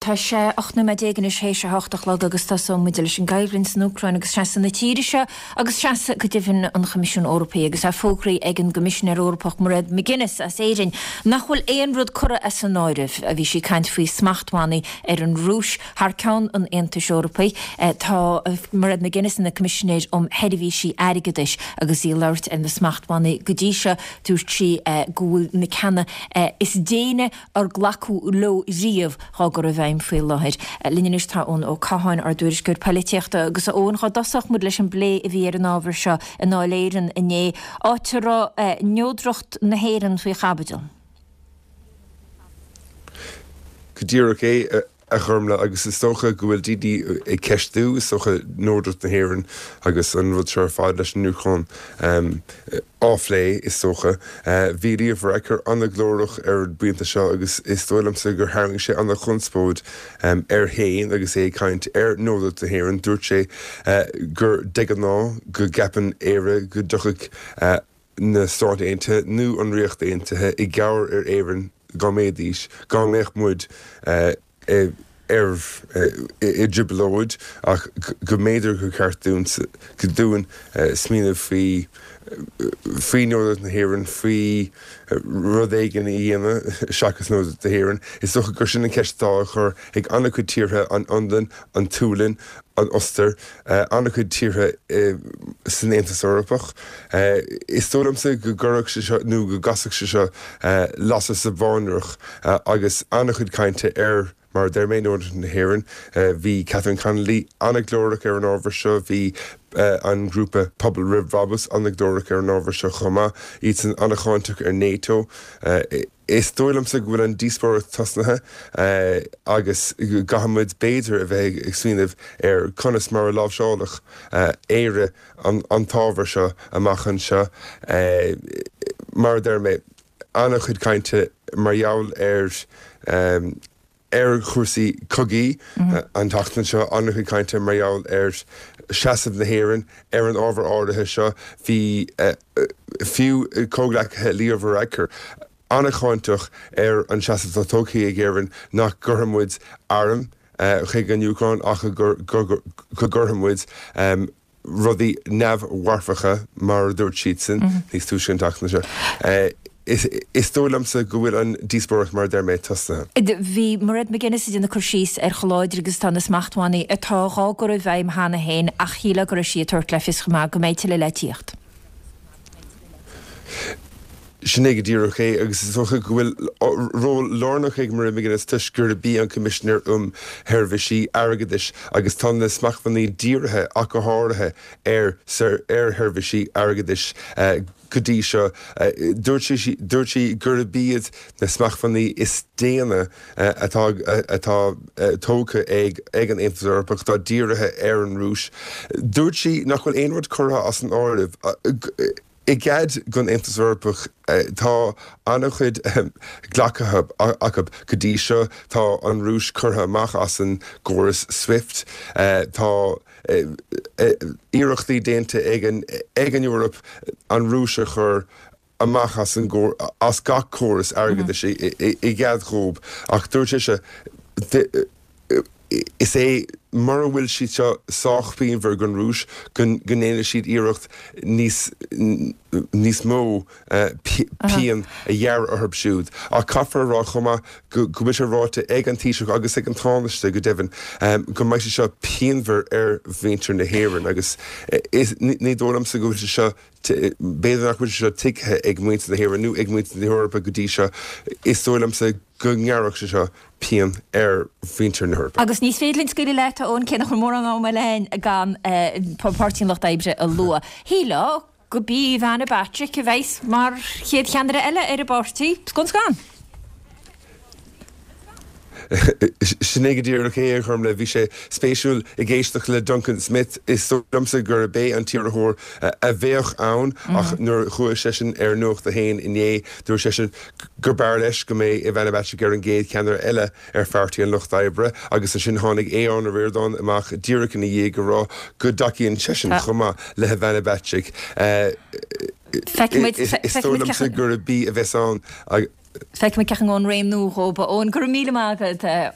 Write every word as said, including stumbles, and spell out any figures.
Tá sé ocht nóiméad déag anois théis a hocht a chlog agus tosóidh muid leis an gcoimhlint san Úcráin agus seasamh na tíre seo agus seasamh go deimhin an Choimisiúin Eorpaigh agus é fógraithe ag an gCoimisinéir Eorpach Mairead McGuinness as Éirinn nach bhfuil aon rud curtha as an áireamh a bhí sí ag caint faoi smachtbhannaí ar an Rúis thar ceann an Aontais Eorpaigh. Tá Mairead McGuinness ina Coimisinéir um Sheirbhísí Airgeadais agus í ag labhairt ar na smachtbhannaí go dtí seo dúirt sí go bhfuil na ceanna is déine ar glacadh leo riamh dhá gcur i bhfeidhm faoi láthair. Linn anois tá Eoin Ó Catháin, ár dtuairisceoir polaitíochta, agus a Eoin, dhá dtosódh muid leis an bplé a bhí ar an ábhar seo i nDáil Éireann inné, áit a raibh neodracht na hÉireann faoi chaibidil. Go díreach é, a Ghormfhlaith, agus is dócha go bhfuil daoine ag ceistiú, is dócha, neodracht na hÉireann agus an rud seo ar fad leis an Úcráin á phlé, is dócha. Bhí Leo Varadkar an-ghlórach ar an bpointe seo agus is dóigh liomsa gur tharraing sé an-chonspóid air féin agus é ag caint ar neodracht na hÉireann. Dúirt sé gur de ghnáth go gceapann Éire go dtiocfadh na Stáit Aontaithe nó an Ríocht Aontaithe i gcabhair ar Éirinn dá mbeidís, dá mbeadh muid ar i dtrioblóid ach go mb'fhéidir gur cheart dúinn dúinn smaoineamh faoi faoi neodracht na hÉireann, faoi rud éigin a dhéanamh seachas neodracht na hÉireann. Is dócha gur sin an cheist atá á chur ag an-chuid tíortha, an Fhionlainn, an tSualainn, an Ostair, an-chuid tíortha san Aontas Eorpach. Is dóigh liomsa go gcuirfeadh sé seo, nó go gcasfadh sé seo lasair sa bhfánaireach agus an-chuid cainte ar, mar a deir mé, neodracht na hÉireann. Bhí Catherine Connolly an-ghlórach ar an ábhar seo, bhí an grúpa Pobal Roimh Bhrabús an-ghlórach ar an ábhar seo chomh maith, iadsan an-cháinteach ar NATO. Is dóigh liomsa go bhfuil an díospóireacht tosnaithe agus go gcaithfidh muid b'fhéidir a bheith ag smaoineamh ar conas mar a láimhseálfadh Éire an t-ábhar seo amach anseo. Mar a deir mé, an-chuid cainte mar gheall ar ar chúrsaí cogaí an tseachtain seo, an-chuid cainte mar gheall ar seasamh na hÉireann ar an ábhar áirithe seo. Bhí fiú comhghleacaithe Leo Varadkar an-cháinteach ar an seasamh atá tógtha ag Éirinn nach gcuirfidh muid airm chuig an Úcráin ach go gcuirfidh muid rudaí neamh-mharfacha, mar a dúirt siadsan níos túisce an tseachtain seo. Is dóigh liomsa go bhfuil an díospóireacht, mar a deir mé, tosnaithe. Bhí Mairead McGuinness ag déanamh cur síos ar chomh láidir agus atá na smachtbhannaí atá dhá gcur i bhfeidhm cheana féin ach shílfeá go raibh sí ag tabhairt le fios chomh maith go mbeidh tuilleadh le tíocht. Sin é go díreach é agus is dócha go bhfuil ról lárnach ag Mairead McGuinness toisc gurb í an Coimisinéir um Sheirbhísí Airgeadais agus tá na smachtbhannaí dírithe ach go háirithe ar ar sheirbhísí airgeadais go dtí seo. Dúirt sí dúirt sí gurb iad na smachtbhannaí is déine atá atá tógtha ag ag an Aontas Eorpach atá dírithe ar an Rúis. Dúirt sí nach bhfuil aon rud curtha as an áireamh. I gcead don Aontas Eorpach, tá an-chuid glactha acu go dtí seo. Tá an Rúis curtha amach as an gcóras Swift. Tá iarrachtaí déanta ag an ag an Eoraip an Rúis a chur amach as an as gach córas airgeadais i gcead dhóibh. Ach dúirt sise, Is é mura bhfuil siad seo sách pianmhar don Rúis go ndéanfaidh siad iarracht níos níos mó pian a ghearradh orthu siúd. Ach caithfear a rá chomh maith go bhfuil sé ráite ag an Taoiseach agus ag an Tánaiste go deimhin go mbeidh sé seo pianmhar ar mhuintir na hÉireann agus ní dóigh liomsa go bhfuil sé seo b'fhéidir nach bhfuil sé seo tuigthe ag muintir na hÉireann nó ag muintir na hEorpa go dtí seo. Is dóigh liomsa go ngearrfadh sé seo pian ar mhuintir na hEorpa. Agus ní féidir linn scaoileadh leat, a Eoin, cé nach bhfuil mórán ama eile againn gan Páirtí an Lucht Oibre a lua. Shílfeá gurb í Ivana Bacik a bheas mar chéad cheannaire eile ar an bpáirtí, scun scan. Sin é go díreach é, a Ghormfhlaith. Bhí sé spéisiúil ag éisteacht le Duncan Smith. Is dóigh liomsa gurb é an t-iarrthóir a bheadh ann ach nuair a chuaigh seisean ar Nuacht a hAon inné, dúirt seisean gur b'fhearr leis go mbeidh Ivana Bacik ar an gcéad cheannaire eile ar Pháirtí an Lucht Oibre agus ansin tháinig Aodhán Ó Ríordáin amach díreach ina dhiaidh ag rá go dtacaíonn seisean chomh maith le hIvana Bacik. Is dóigh liomsa gurb í a bheas ann. Feicfimid cén chaoi a ngabhann réim nua dhóibh. A Eoin, go raibh míle maith agat.